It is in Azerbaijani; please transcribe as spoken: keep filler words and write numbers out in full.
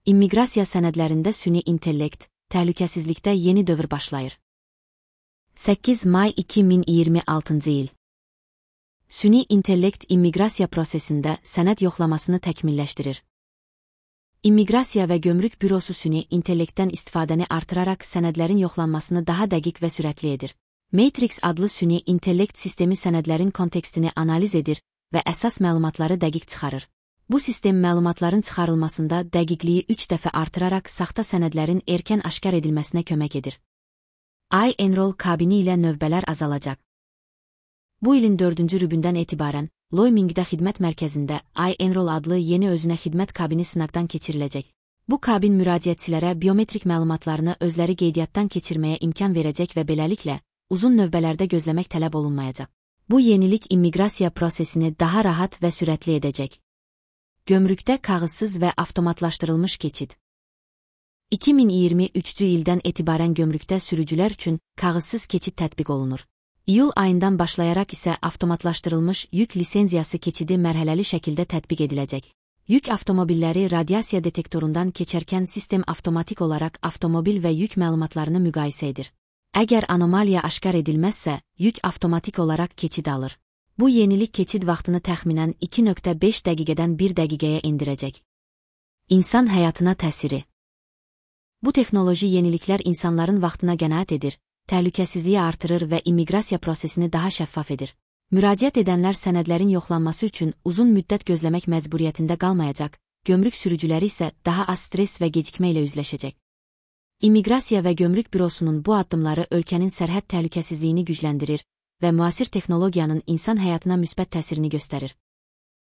İmmiqrasiya sənədlərində süni intellekt, təhlükəsizlikdə yeni dövr başlayır. səkkiz may iki min iyirmi altıncı il. Süni intellekt immiqrasiya prosesində sənəd yoxlamasını təkmilləşdirir. İmmiqrasiya və Gömrük Bürosu süni intellektdən istifadəni artıraraq sənədlərin yoxlanmasını daha dəqiq və sürətli edir. Matrix adlı süni intellekt sistemi sənədlərin kontekstini analiz edir və əsas məlumatları dəqiq çıxarır. Bu sistem məlumatların çıxarılmasında dəqiqliyi üç dəfə artıraraq saxta sənədlərin erkən aşkar edilməsinə kömək edir. iEnroll kabini ilə növbələr azalacaq. Bu ilin dördüncü rübündən etibarən, Loymingdə xidmət mərkəzində iEnroll adlı yeni özünə xidmət kabini sınaqdan keçiriləcək. Bu kabin müraciətçilərə biometrik məlumatlarını özləri qeydiyyatdan keçirməyə imkan verəcək və beləliklə, uzun növbələrdə gözləmək tələb olunmayacaq. Bu yenilik immiqrasiya prosesini daha rahat və sürətli edəcək. Gömrükdə kağızsız və avtomatlaşdırılmış keçid. iki min iyirmi üçüncü ildən etibarən gömrükdə sürücülər üçün kağızsız keçid tətbiq olunur. İyul ayından başlayaraq isə avtomatlaşdırılmış yük lisenziyası keçidi mərhələli şəkildə tətbiq ediləcək. Yük avtomobilləri radiasiya detektorundan keçərkən sistem avtomatik olaraq avtomobil və yük məlumatlarını müqayisə edir. Əgər anomaliya aşkar edilməzsə, yük avtomatik olaraq keçid alır. Bu yenilik keçid vaxtını təxminən iki nöqtə beş dəqiqədən bir dəqiqəyə endirəcək. İnsan həyatına təsiri. Bu texnoloji yeniliklər insanların vaxtına qənaət edir, təhlükəsizliyi artırır və immiqrasiya prosesini daha şəffaf edir. Müraciət edənlər sənədlərin yoxlanması üçün uzun müddət gözləmək məcburiyyətində qalmayacaq, gömrük sürücüləri isə daha az stres və gecikmə ilə üzləşəcək. İmmiqrasiya və Gömrük Bürosunun bu addımları ölkənin sərhəd təhlükəsizliyini gücləndirir və müasir texnologiyanın insan həyatına müsbət təsirini göstərir.